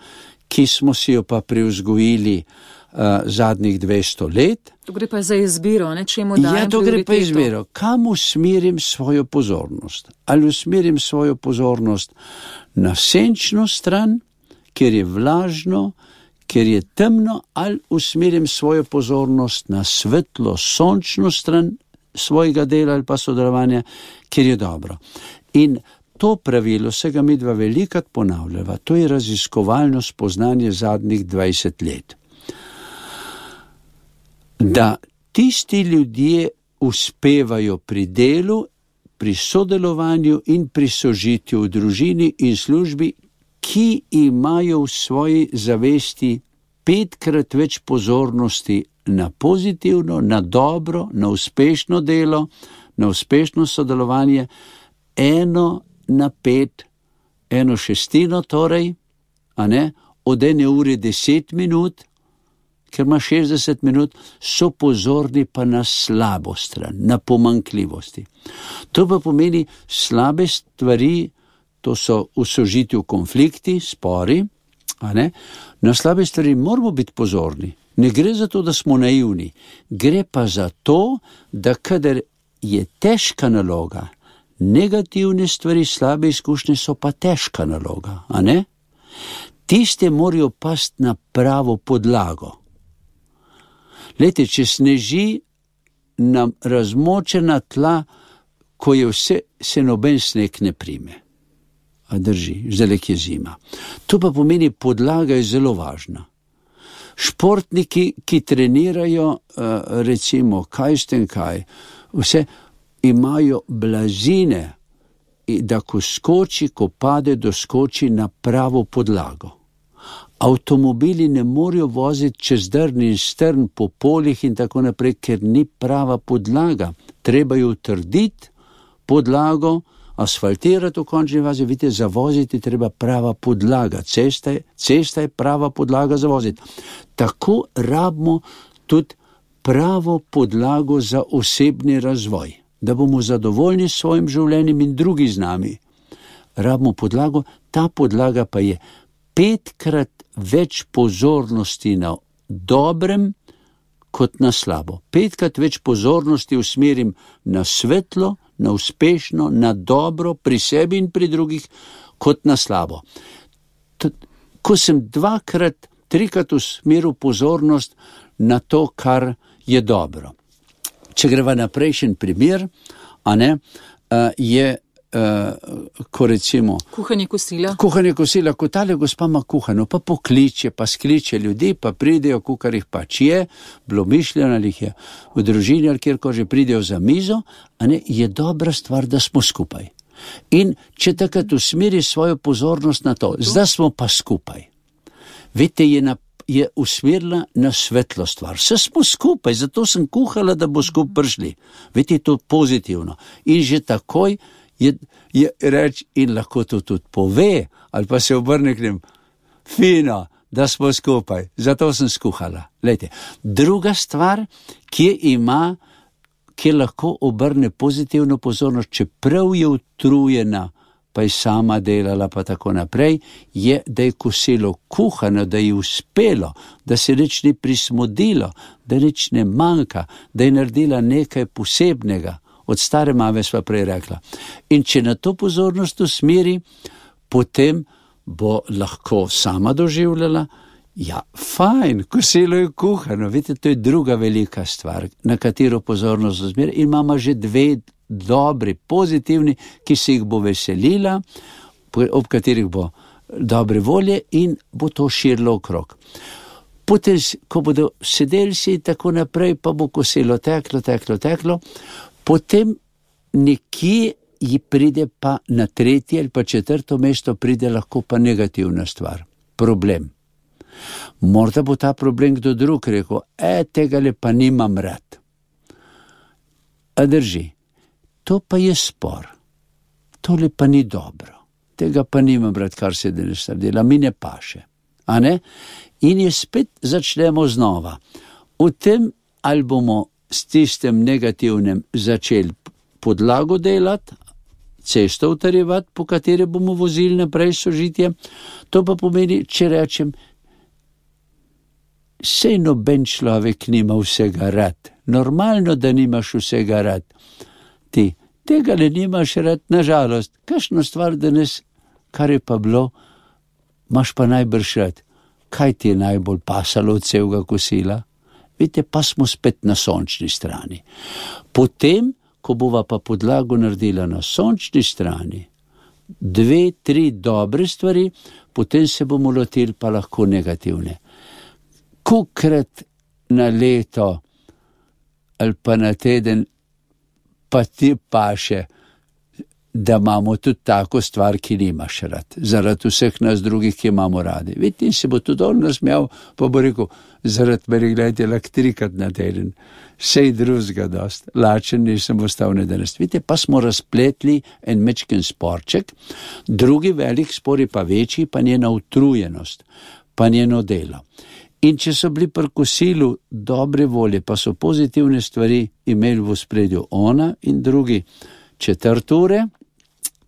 ki smo si jo pa privzgojili uh, zadnjih dvesto let. To gre pa za izbiro, ne, čemu dajem prioriteto. Ja, to gre pa izbiro. Kam usmerim svojo pozornost? Ali usmerim svojo pozornost na senčno stran, kjer je vlažno, ker je temno, ali usmerim svojo pozornost na svetlo, sončno stran svojega dela ali pa sodelovanja, ker je dobro. In to pravilo se ga midva velikrat ponavljava, to je raziskovalno spoznanje zadnjih dvajset let. Da tisti ljudje uspevajo pri delu, pri sodelovanju in pri sožitju v družini in službi, ki imajo v svoji zavesti petkrat več pozornosti na pozitivno, na dobro, na uspešno delo, na uspešno sodelovanje, eno na pet, eno šestino torej, a ne, od ene ure deset minut, ker ima šestdeset minut, so pozorni pa na slabo stran, na pomanjkljivosti. To pa pomeni slabe stvari, to so v sožitju konflikti, spori, a ne, na slabe stvari moramo biti pozorni. Ne gre za to, da smo naivni, gre pa za to, da kadar je težka naloga, negativne stvari, slabe izkušnje so pa težka naloga, a ne? Tiste morajo pasti na pravo podlago. Lejte, če sneži na razmočena tla, ko je vse, se noben sneg ne prime. A drži, zdaj je zima. To pa pomeni, podlaga je zelo važna. Športniki, ki trenirajo, recimo, kaj ste kaj, vse imajo blazine, da ko skoči, ko pade, doskoči na pravo podlago. Avtomobili ne morejo voziti čez drn in strn po poljih in tako naprej, ker ni prava podlaga. Treba jo utrditi podlago, asfaltirati v končni fazi, vidite, zavoziti treba prava podlaga. Cesta je, cesta je prava podlaga za voziti. Tako rabimo tudi pravo podlago za osebni razvoj, da bomo zadovoljni s svojim življenjem in drugi z nami. Rabimo podlago, ta podlaga pa je petkrat več pozornosti na dobrem kot na slabo. Petkrat več pozornosti usmerim na svetlo, na uspešno, na dobro, pri sebi in pri drugih, kot na slabo. Ko sem dvakrat, trikrat usmeril pozornost na to, kar je dobro. Če greva na prejšen primer, a ne, je, ko recimo... Kuhanje kosila. Kuhanje kosila, ko tale gospa ima kuhano, pa pokliče, pa skliče ljudi, pa pridejo, kukar jih pač je, bilo mišljeno, ali jih je v družini, ali kjer ko že pridejo za mizo, a ne, je dobra stvar, da smo skupaj. In če takrat usmeri svojo pozornost na to, zdaj smo pa skupaj. Vidite, je na je usmerila na svetlo stvar. Vse smo skupaj, zato sem kuhala, da bo skupaj prišli. Vidite, to pozitivno. In že takoj je, je reč in lahko to tudi pove, ali pa se obrne k njim, fino, da smo skupaj, zato sem skuhala. Lejte, druga stvar, kje ima, kje lahko obrne pozitivno pozornost, čeprav je utrujena, pa je sama delala, pa tako naprej, je, da je kosilo kuhano, da je uspelo, da se nič ni prismodilo, da nič ne manjka, da je naredila nekaj posebnega. Od stare mame sva prej rekla. In če na to pozornost usmeri, potem bo lahko sama doživljala, ja, fajn, kosilo je kuhano. Vidite, to je druga velika stvar, na katero pozornost usmeri. In imamo že dve dobri, pozitivni, ki se jih bo veselila, ob katerih bo dobre volje in bo to širilo okrog. Potem, ko bodo sedeli si tako naprej, pa bo kosilo teklo, teklo, teklo, potem nekje ji pride pa na tretje ali pa četrto mesto pride lahko pa negativna stvar, problem. Morda bo ta problem kdo drug rekel, e, tega le pa nimam rad. A drži. To pa je spor. Tole pa ni dobro. Tega pa nimam rad, kar se danes dela, mi ne paše. A ne? In je spet začnemo znova. V tem, ali bomo s tistem negativnem začeli podlago delati, cesto utrjevati, po kateri bomo vozili naprej sožitje, to pa pomeni, če rečem, sej noben človek nima vsega rad. Normalno, da nimaš vsega rad. Ti, tega ne nimaš rad, nažalost, kakšno stvar danes, kar je pa bilo, imaš pa najbrž rad. kaj ti je najbolj pasalo od celega kosila? Vidite, pa smo spet na sončni strani. Potem, ko bova pa podlago naredila na sončni strani, dve, tri dobre stvari, potem se bomo lotili pa lahko negativne. Kolikrat na leto ali pa na teden pa ti paše, da imamo tudi tako stvar, ki nimaš rad, zaradi vseh nas drugih, ki imamo radi. Vidite, in se bo tudi on nasmejal, pa bo rekel, zaradi meni gledajte lak trikrat na teden, sej drugega dost, lačen nisem ostal ne danes. Vidite, pa smo razpletli en mečken sporček, drugi velik spor je pa večji, pa njena utrujenost, pa njeno delo. In če so bili pri kosilu dobre volje, pa so pozitivne stvari imeli v spredju ona in drugi četrt ure,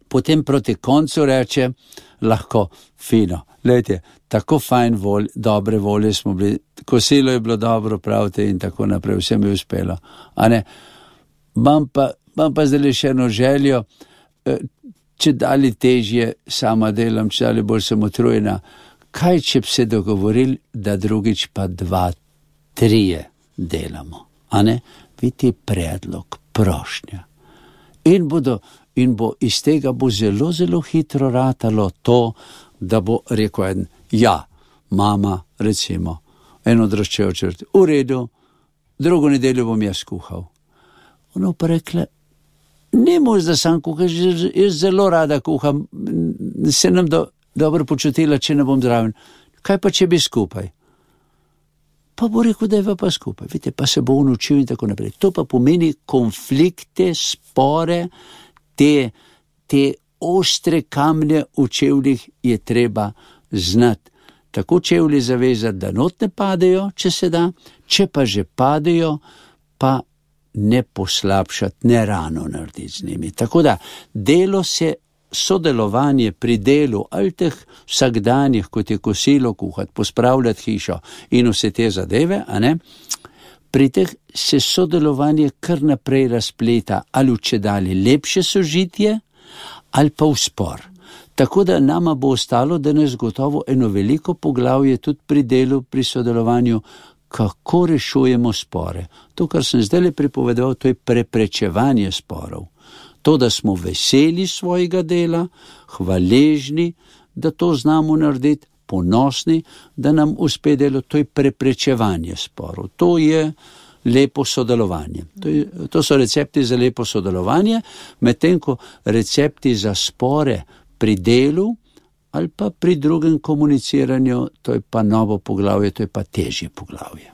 potem proti koncu reče, lahko fino, gledajte, tako fajn volj, dobre volje smo bili, kosilo je bilo dobro, pravite, in tako naprej, vsem je uspelo. A ne, imam pa, imam pa zdaj še eno željo, če dali težje sama delam, če dali bolj sem utrujena, kaj če bi se dogovorili, da drugič pa dva, trije delamo, a ne, vidite predlog, prošnja. In bodo, in bo iz tega bo zelo, zelo hitro ratalo to, da bo rekel en, ja, mama, recimo, en odraščajo črt, v redu, drugo nedeljo bom jaz kuhal. Ono pa rekla, ne mož, da sam kuhaš, jaz zelo rada kuham, se nam do, dobro počutila, če ne bom zraven. Kaj pa, če bi skupaj? Pa bo rekel, da je pa skupaj. Vidite, pa se bo naučil in tako naprej. To pa pomeni konflikte, spore, te, te ostre kamne v čevljih je treba znati. Tako čevlji zavezati, da not ne padejo, če se da, če pa že padejo, pa ne poslabšati, ne rano narediti z njimi. Tako da delo se, sodelovanje pri delu ali teh vsakdanjih, kot je kosilo kuhati, pospravljati hišo in vse te zadeve, a ne, pri teh se sodelovanje kar naprej razpleta ali v čedalje lepše sožitje ali pa v spor. Tako da nama bo ostalo danes gotovo eno veliko poglavje tudi pri delu, pri sodelovanju, kako rešujemo spore. To, kar sem zdaj pripovedoval, to je preprečevanje sporov. To, da smo veseli svojega dela, hvaležni, da to znamo narediti, ponosni, da nam uspe delo, to je preprečevanje sporov. To je lepo sodelovanje. To, je, to so recepti za lepo sodelovanje, medtem ko recepti za spore pri delu ali pa pri drugem komuniciranju, to je pa novo poglavje, to je pa težje poglavje.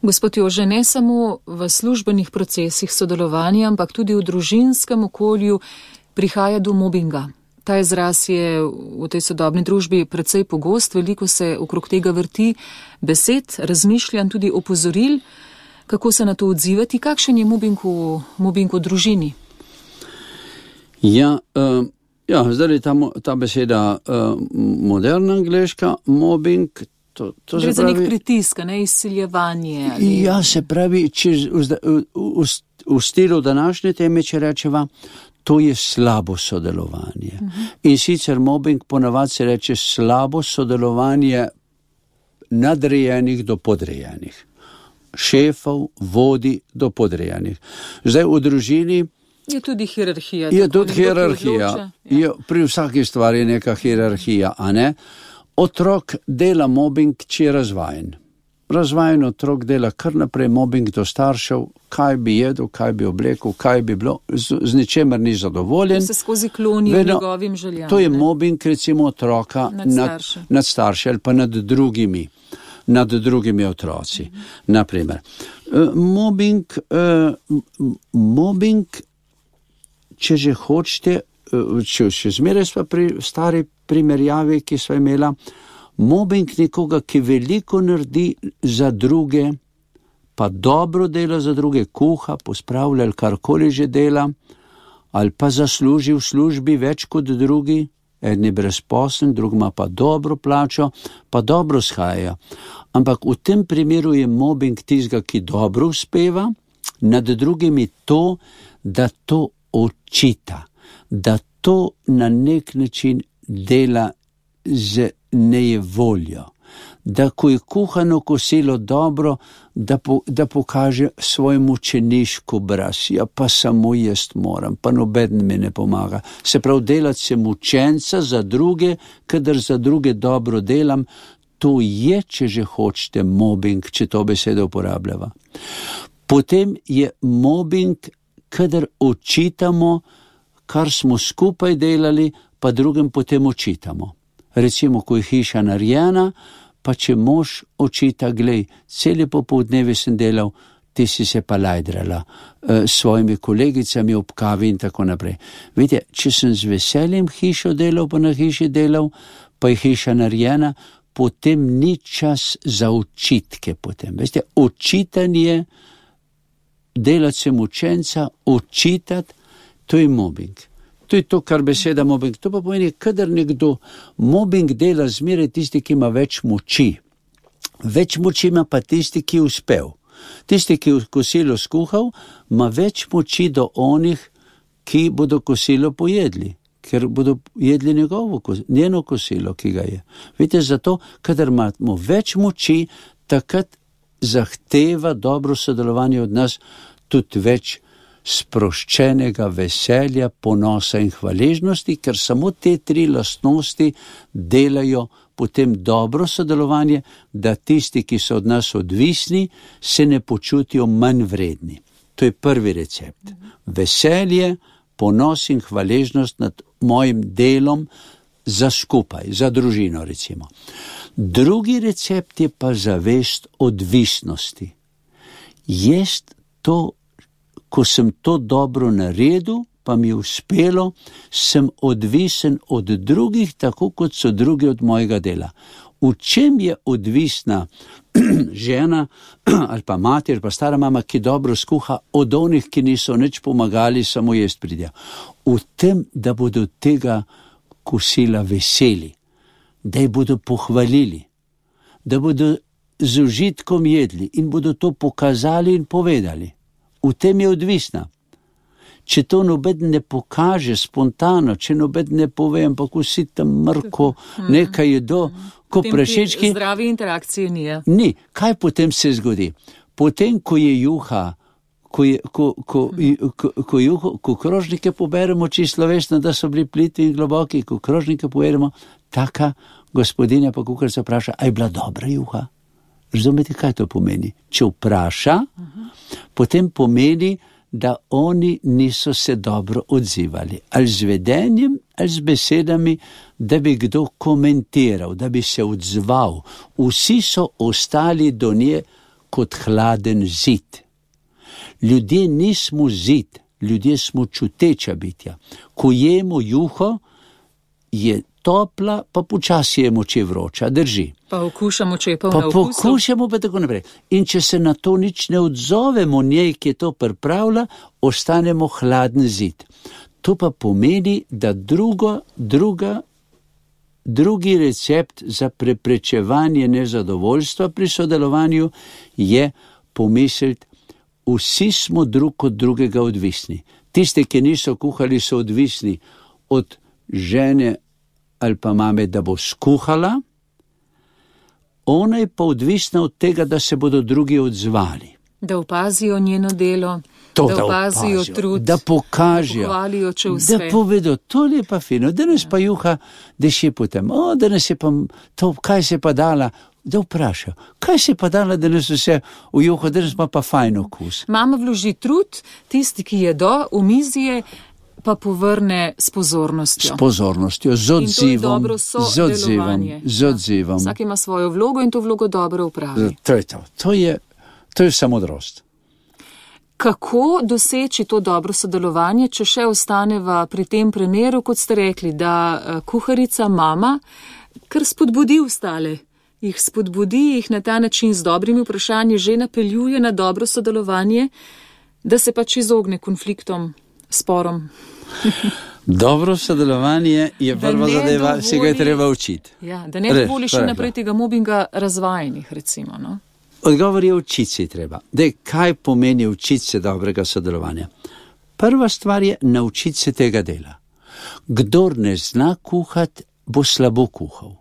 Gospod Jože, ne samo v službenih procesih sodelovanja, ampak tudi v družinskem okolju prihaja do mobinga. Ta izraz je v tej sodobni družbi precej pogost, veliko se okrog tega vrti besed, razmišljanj, tudi opozoril. Kako se na to odzivati? Kakšen je mobing v, mobing v družini? Ja, uh, ja zdaj je ta, ta beseda uh, moderna angleška, mobing. To, to Gre za nek pritisk, ne izsiljevanje. Ali... Ja, se pravi, če v, v, v, v stilu današnje teme, če rečeva, to je slabo sodelovanje. Uh-huh. In sicer mobbing ponavadi se reče slabo sodelovanje nadrejenih do podrejenih. Šefov, vodi do podrejenih. Zdaj v družini je tudi hierarhija. Je tudi hierarhija. Ja. Je, pri vsaki stvari je neka hierarhija, a ne? Otrok dela mobbing, če je razvajen. Razvajen otrok dela kar naprej mobbing do staršev, kaj bi jedel, kaj bi oblekel, kaj bi bilo, z, z ničemer ni zadovoljen. Se skozi kloni Vedno, njegovim željam. To je ne? mobbing, recimo otroka nad, nad, nad starši ali pa nad drugimi, nad drugimi otroci. Mhm. Naprimer, uh, mobbing, uh, mobbing, če že hočete, uh, če še zmeraj sva pri stari primerjavi, ki sva imela, mobbing nekoga, ki veliko naredi za druge, pa dobro dela za druge, kuha, pospravlja ali karkoli že dela, ali pa zasluži v službi več kot drugi, en je brezposeln, drug ima pa dobro plačo, pa dobro shaja. Ampak v tem primeru je mobbing tistega, ki dobro uspeva, nad drugimi to, da to očita, da to na nek način dela z nejevoljo, da ko je kuhano kosilo dobro, da, po, da pokaže svoj mučeniški obraz. Ja, pa samo jaz moram, pa noben mi ne pomaga. Se pravi, delati se mučenca za druge, kadar za druge dobro delam, to je, če že hočete, mobbing, če to besedo uporabljava. Potem je mobbing, kadar očitamo, kar smo skupaj delali, pa drugim potem očitamo. Recimo, ko je hiša narejena, pa če mož očita, glej, cele popoldneve sem delal, ti si se pa lajdrala s e, svojimi kolegicami ob kavi in tako naprej. Vidite, če sem z veseljem hišo delal, pa na hiši delal, pa je hiša narejena, potem ni čas za očitke potem. Veste, očitanje, delati se mučenca, očitati, to je mobbing. To je to, kar beseda mobbing. To pa pomeni, kadar nekdo mobbing dela zmeraj tisti, ki ima več moči. Več moči ima pa tisti, ki je uspel. Tisti, ki je kosilo skuhal, ima več moči do onih, ki bodo kosilo pojedli, ker bodo jedli njegovo, njeno kosilo, ki ga je. Vidite, zato, kadar imamo več moči, takrat zahteva dobro sodelovanje od nas tudi več sproščenega veselja, ponosa in hvaležnosti, ker samo te tri lastnosti delajo potem dobro sodelovanje, da tisti, ki so od nas odvisni, se ne počutijo manj vredni. To je prvi recept. Veselje, ponos in hvaležnost nad mojim delom za skupaj, za družino recimo. Drugi recept je pa zavest odvisnosti. Jaz to, ko sem to dobro naredil, pa mi je uspelo, sem odvisen od drugih, tako kot so drugi od mojega dela. V čem je odvisna žena ali pa mati ali pa stara mama, ki dobro skuha, od onih, ki niso nič pomagali, samo jest pridejo? V tem, da bodo tega kosila veseli, da jih bodo pohvalili, da bodo z užitkom jedli in bodo to pokazali in povedali. V tem je odvisna. Če to nobed ne pokaže spontano, če nobed ne pove, ampak vsi tam mrko nekaj jedo, ko prašički... Zdravi interakcije ni. Ni. Kaj potem se zgodi? Potem, ko je juha, ko, je, ko, ko, ko, ko, juho, ko krožnike poberemo čisto slovesno, da so bili plitvi in globoki, ko krožnike poberemo, taka gospodinja pa kuharica vpraša, a je bila dobra juha? Razumete, kaj to pomeni? Če vpraša, uh-huh. potem pomeni, da oni niso se dobro odzivali. Ali z vedenjem, ali z besedami, da bi kdo komentiral, da bi se odzval. Vsi so ostali do nje kot hladen zid. Ljudje nismo zid, ljudje smo čuteča bitja. Ko jemo juho, je topla, pa počasi je moče vroča, drži. Pa okušamo, če je polna okusa. Pa okusu. pokušamo, pa tako naprej. In če se na to nič ne odzovemo njej, ki je to pripravila, ostanemo hladen zid. To pa pomeni, da drugo, druga, drugi recept za preprečevanje nezadovoljstva pri sodelovanju je pomisliti, vsi smo drug od drugega odvisni. Tisti, ki niso kuhali, so odvisni od žene ali pa mame, da bo skuhala, ona je pa odvisna od tega, da se bodo drugi odzvali. Da opazijo njeno delo, To, da, da opazijo opazijo, trud, da pokažejo, da pohvalijo, če uspe. Da povedo, to je pa fino, danes ja. pa juha, da še potem, o, danes je pa to, kaj se pa dala, da vprašajo, kaj se pa dala, danes vse v juho, danes pa pa fajn okus. Mama vloži trud, tisti, ki jedo, v mizije, pa povrne s pozornostjo. S pozornostjo, z odzivom, z odzivom, z odzivom. Ja. Vsak ima svojo vlogo in to vlogo dobro upravi. To je to, to je, to je samodrost. Kako doseči to dobro sodelovanje, če še ostaneva pri tem primeru, kot ste rekli, da kuharica mama kar spodbudi ostale, jih spodbudi, jih na ta način z dobrimi vprašanji že napeljuje na dobro sodelovanje, da se pač izogne konfliktom, sporom. Dobro sodelovanje je prva zadeva, dovoli, se ga je treba učiti. Ja, da ne dovoli še naprej tega mobinga razvajenih, recimo, no? Odgovor je učiti se treba. Dej, kaj pomeni učiti se dobrega sodelovanja? Prva stvar je naučiti se tega dela. Kdor ne zna kuhati, bo slabo kuhal.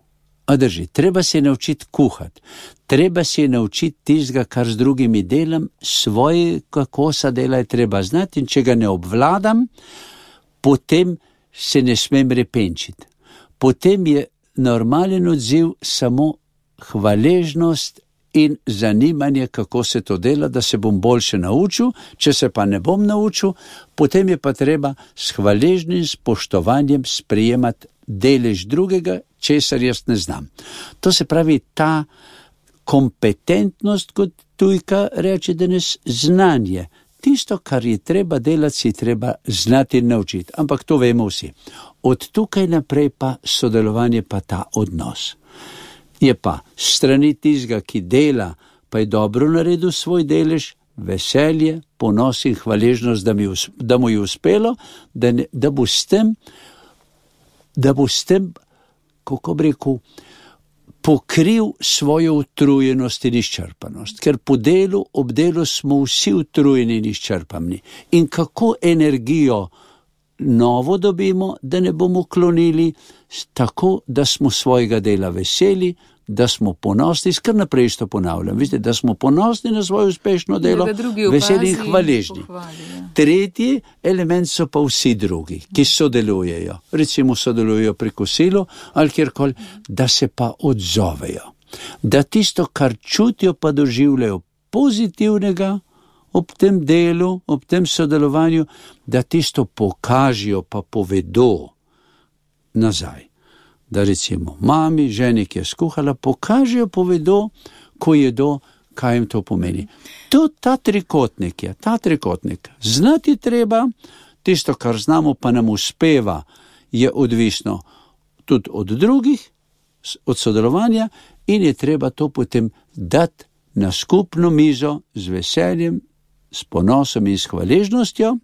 A drži, treba se naučiti kuhati, treba se naučiti tistega, kar z drugimi delam, svoje kosa dela je treba znati in če ga ne obvladam, potem se ne smem repenčiti. Potem je normalen odziv samo hvaležnost in zanimanje, kako se to dela, da se bom boljše naučil, če se pa ne bom naučil, potem je pa treba s hvaležnim spoštovanjem sprejemati delež drugega, česar jaz ne znam. To se pravi ta kompetentnost, kot tujka reče danes, znanje. Tisto, kar je treba delati, si treba znati in naučiti. Ampak to vemo vsi. Od tukaj naprej pa sodelovanje, pa ta odnos. Je pa strani tistega, ki dela, pa je dobro naredil svoj delež, veselje, ponos in hvaležnost, da, mi, da mu je uspelo, da, ne, da bo s tem, da bo s tem, kako bi rekel, pokril svojo utrujenost in izčrpanost. Ker po delu, ob delu smo vsi utrujeni in izčrpani. In kako energijo novo dobimo, da ne bomo klonili, tako, da smo svojega dela veseli, da smo ponosni, skar naprej isto ponavljam, vidite, da smo ponosni na svoje uspešno delo, veseli in hvaležni. Tretji element so pa vsi drugi, ki sodelujejo, recimo sodelujejo pri kosilu ali kjerkoli, da se pa odzovejo, da tisto, kar čutijo, pa doživljajo pozitivnega ob tem delu, ob tem sodelovanju, da tisto pokažijo, pa povedo nazaj. Da recimo mami, ženi, ki je skuhala, pokažejo, povedo, ko jedo, kaj jim to pomeni. To ta trikotnik je, ta trikotnik. Znati treba, tisto, kar znamo, pa nam uspeva, je odvisno tudi od drugih, od sodelovanja in je treba to potem dati na skupno mizo z veseljem, s ponosom in s hvaležnostjo,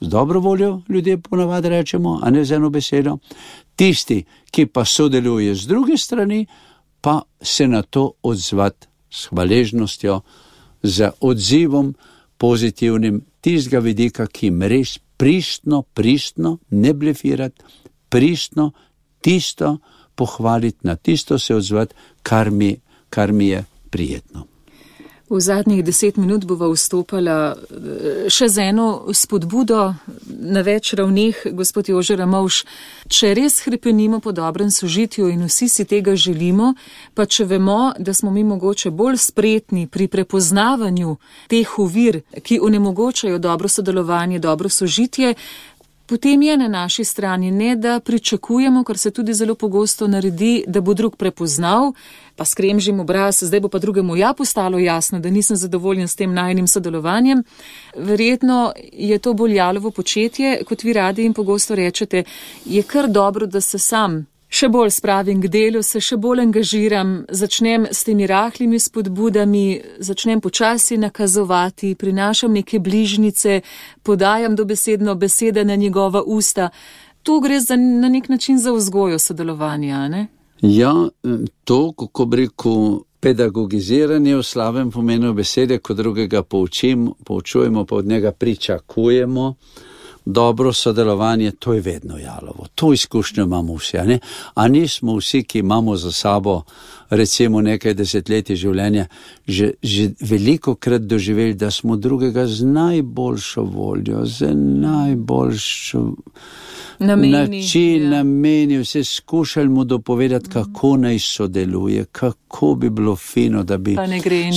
z dobro voljo, ljudje ponavadi rečemo, a ne z eno besedo. Tisti, ki pa sodeluje z druge strani, pa se na to odzvati s hvaležnostjo, z odzivom pozitivnim tistega vidika, ki jim res pristno, pristno, ne blefirati, pristno, tisto pohvaliti, na tisto se odzvati, kar mi, kar mi je prijetno. V zadnjih deset minut bova vstopala še z eno spodbudo na več ravneh, gospod Jože Ramovš. Če res hrepenimo po dobrem sožitju in vsi si tega želimo, pa če vemo, da smo mi mogoče bolj spretni pri prepoznavanju teh ovir, ki onemogočajo dobro sodelovanje, dobro sožitje, potem je na naši strani ne, da pričakujemo, kar se tudi zelo pogosto naredi, da bo drug prepoznal, pa skremžim obraz, zdaj bo pa drugemu ja postalo jasno, da nisem zadovoljen s tem najnim sodelovanjem. Verjetno je to bolj jalovo početje, kot vi radi in pogosto rečete, je kar dobro, da se sam še bolj spravim k delu, se še bolj angažiram, začnem s temi rahlimi spodbudami, začnem počasi nakazovati, prinašam neke bližnice, podajam dobesedno besede na njegova usta. To gre za, na nek način za vzgojo sodelovanja, ne? Ja, to, kako bi rekel, pedagogiziranje v slabem pomenu besede, ko drugega poučim, poučujemo, pa od njega pričakujemo. Dobro sodelovanje, to je vedno jalovo. To izkušnjo imamo vsi, a ne? A nismo vsi, ki imamo za sabo recimo nekaj desetletij življenja, že, že veliko krat doživeli, da smo drugega z najboljšo voljo, z najboljšo nameni, način, ja. nameni, vse skušali mu dopovedati, kako naj sodeluje, kako bi bilo fino, da bi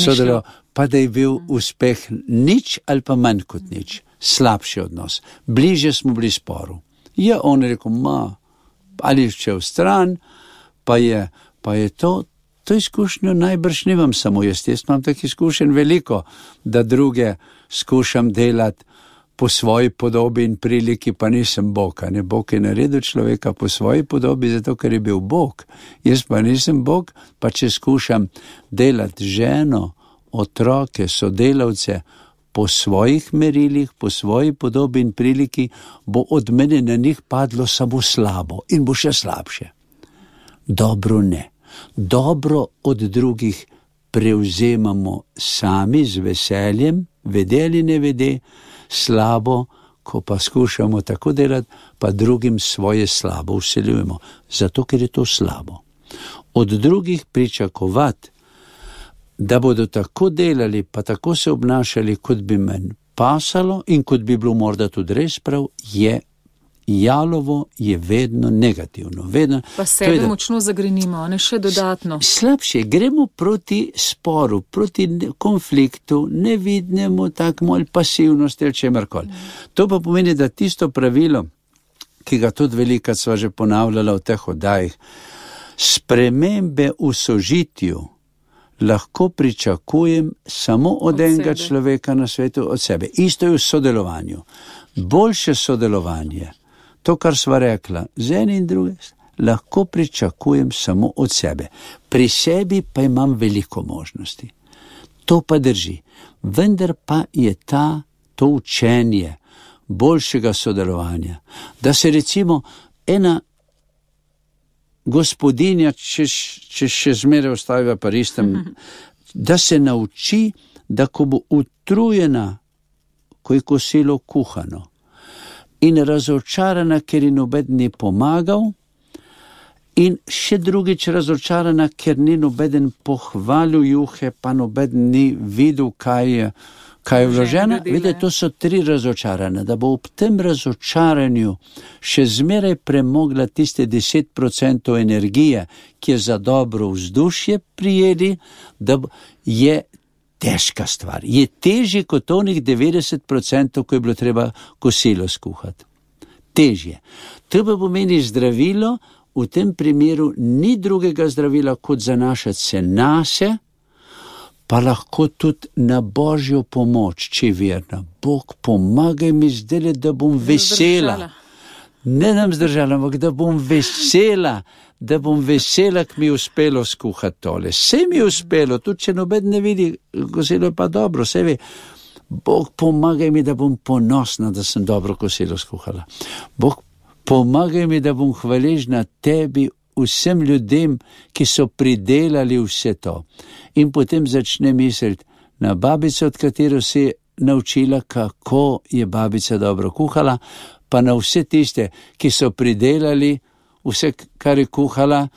sodeloval, pa da je bil uspeh nič ali pa manj kot nič. Slabši odnos. Bliže smo bili sporu. Je on rekel, ma, ali še v stran, pa je, pa je to, to izkušnjo najbrž nimam samo jaz. Jaz imam tak izkušen veliko, da druge skušam delati po svoji podobi in priliki, pa nisem Bog. Ne? Bog je naredil človeka po svoji podobi, zato ker je bil Bog. Jaz pa nisem Bog, pa če skušam delati ženo, otroke, sodelavce, po svojih merilih, po svoji podobi in priliki, bo od mene na njih padlo samo slabo in bo še slabše. Dobro ne. Dobro od drugih prevzemamo sami z veseljem, vede ali ne vede, slabo, ko pa skušamo tako delati, pa drugim svoje slabo vseljujemo, zato ker je to slabo. od drugih pričakovati, da bodo tako delali, pa tako se obnašali, kot bi meni pasalo in kot bi bilo morda tudi res prav, je jalovo, je vedno negativno. Vedno, pa sebe da, močno zagrenimo, ne še dodatno. Slabše, gremo proti sporu, proti konfliktu, nevidnemu, tako ali pasivnosti ali čemarkoli. Mm. To pa pomeni, da tisto pravilo, ki ga tudi velikrat sva že ponavljala v teh oddajih, spremembe v sožitju lahko pričakujem samo od, od enega sebe. Človeka na svetu, od sebe. Isto je v sodelovanju. Boljše sodelovanje, to, kar sva rekla, z eni in druge, lahko pričakujem samo od sebe. Pri sebi pa imam veliko možnosti. To pa drži. Vendar pa je ta, to učenje boljšega sodelovanja, da se recimo ena gospodinja, če, če še zmeraj ostaviva paristem, da se nauči, da ko bo utrujena, ko je kosilo kuhano in razočarana, ker ji nobeden ni pomagal, in še drugič razočarana, ker ni nobeden pohvalil juhe, pa nobeden ni videl, kaj je, kaj je vloženo. Vidite, to so tri razočarane, da bo ob tem razočaranju še zmeraj premogla tiste deset procentov energije, ki je za dobro vzdušje prijeli, da je težka stvar. Je težje kot onih devetdeset procentov, ko je bilo treba kosilo skuhati. Težje. To pa pomeni zdravilo, v tem primeru ni drugega zdravila, kot zanašati se nase, pa lahko tudi na Božjo pomoč, če je verna. Bog, pomagaj mi zdaj, da bom vesela. Ne nam zdržala, ampak da bom vesela, da bom vesela, ki mi je uspelo skuhati tole. Vse mi je uspelo, tudi če nobeden ne vidi, kosilo je pa dobro, vse ve. Bog, pomagaj mi, da bom ponosna, da sem dobro kosilo skuhala. Bog, pomagaj mi, da bom hvaležna tebi, vsem ljudem, ki so pridelali vse to. In potem začne misliti na babico, od katero si naučila, kako je babica dobro kuhala, pa na vse tiste, ki so pridelali vse, kar je kuhala,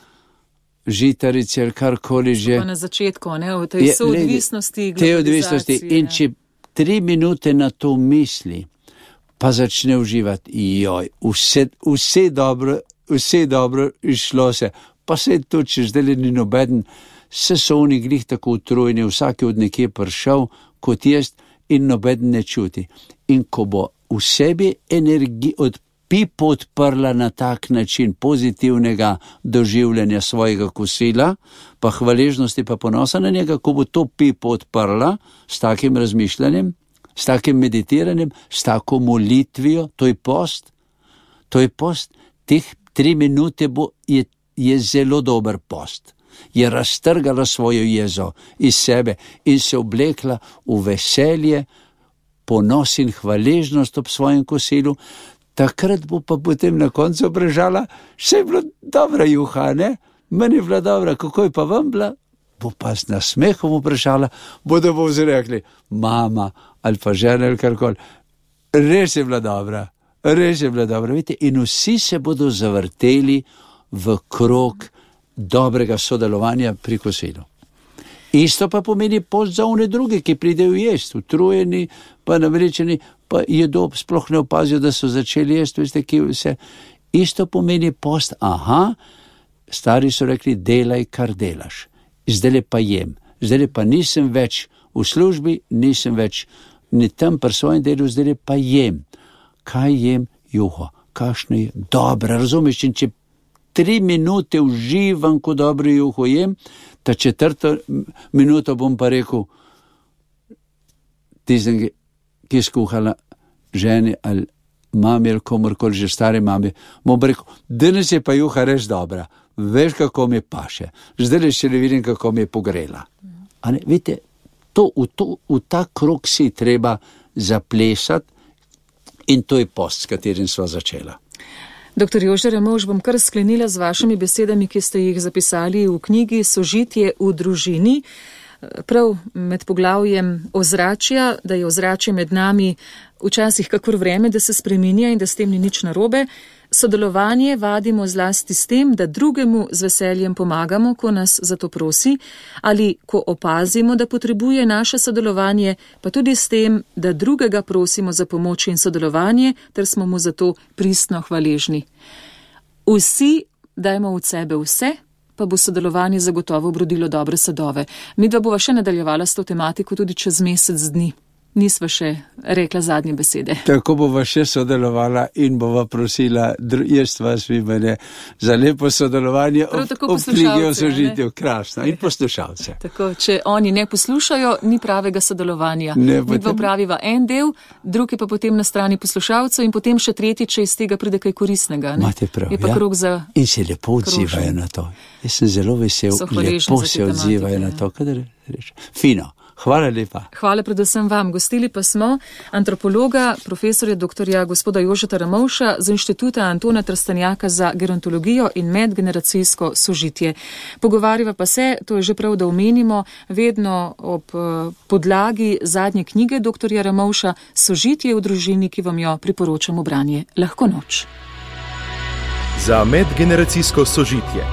žitarice ali karkoli že. Pa na začetku, ne, v tej soodvisnosti, globalizacije. Te odvisnosti. In če tri minute na to misli, pa začne uživati, joj, vse, vse dobro, vse dobro išlo se, pa se to, če zdaj ni nobeden, se so oni glih tako utrujeni, vsak je od nekje prišel, kot jaz, in nobeden ne čuti. In ko bo v sebi energiji od pipo odprla na tak način pozitivnega doživljanja svojega kosila, pa hvaležnosti pa ponosa na njega, ko bo to pipo odprla s takim razmišljanjem, s takim meditiranjem, s tako molitvijo, to je post, to je post, teh tri minute bo, je, je zelo dober post. Je raztrgala svojo jezo iz sebe in se oblekla v veselje, ponos in hvaležnost ob svojem kosilu. Takrat bo pa potem na koncu prežala, še je bila dobra juha, ne? Meni je bila dobra, kako je pa vam bila? Bo pa z nasmehom vprašala, bodo bo vzrekli, mama ali pa žena ali karkoli, res je bila dobra, res je bila dobra. Vidite, in vsi se bodo zavrteli v krog dobrega sodelovanja pri kosilu. Isto pa pomeni post za one druge, ki pridejo jesti, utrujeni, pa naveličeni, pa jedo, sploh ne opazijo, da so začeli jesti, veste, ki vse. Isto pomeni post, aha, stari so rekli, delaj, kar delaš. Zdaj pa jem, zdaj pa nisem več v službi, nisem več ni tam pri svojem delu, zdaj pa jem. Kaj jem? Juho. Kakšno je? Dobro, razumeš, in če tri minute uživam, ko dobro juho jem, ta četrto minuto bom pa rekel, tistem, ki je skuhala ženi ali mami ali komorkoli, že stari mami, bom rekel, danes je pa juha res dobra, veš, kako mi paše, zdaj še ne vidim, kako mi je pogrela. A ne, vidite, to, v, to, v ta krog si treba zaplesati in to je post, s katerim sva začela. Doktor Jože Ramovš, bom kar sklenila z vašimi besedami, ki ste jih zapisali v knjigi Sožitje v družini. Prav med poglavjem ozračja, da je ozračje med nami včasih kakor vreme, da se spreminja in da s tem ni nič narobe, Sodelovanje vadimo zlasti s tem, da drugemu z veseljem pomagamo, ko nas za to prosi, ali ko opazimo, da potrebuje naše sodelovanje, pa tudi s tem, da drugega prosimo za pomoč in sodelovanje, ter smo mu za to pristno hvaležni. Vsi dajmo od sebe vse, pa bo sodelovanje zagotovo obrodilo dobre sadove. Midva bova še nadaljevala s to tematiko tudi čez mesec dni. Nisva še rekla zadnje besede. Tako bova še sodelovala in bova prosila, jaz vas vi mene, za lepo sodelovanje ob, ob knjigi o sožitju. Krasno. In poslušalce. Tako, če oni ne poslušajo, ni pravega sodelovanja. Midva praviva en del, drugi pa potem na strani poslušalcev in potem še tretji, če iz tega pride kaj koristnega. Ne? Imate prav, je pa ja. krog za in se lepo odzivajo na to. Jaz sem zelo vesel, lepo se odzivajo na to. Kadar reče. Fino. Hvala lepa. Hvala predvsem vam. Gostili pa smo antropologa, profesorja doktorja gospoda Jožeta Ramovša z Inštituta Antona Trstenjaka za gerontologijo in medgeneracijsko sožitje. Pogovarjava pa se, to je že prav, da omenimo, vedno ob podlagi zadnje knjige doktorja Ramovša Sožitje v družini, ki vam jo priporočamo branje. Lahko noč. Za medgeneracijsko sožitje.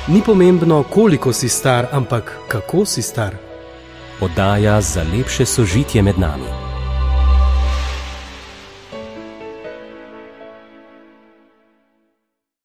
Ni pomembno, koliko si star, ampak kako si star. Oddaja za lepše sožitje med nami.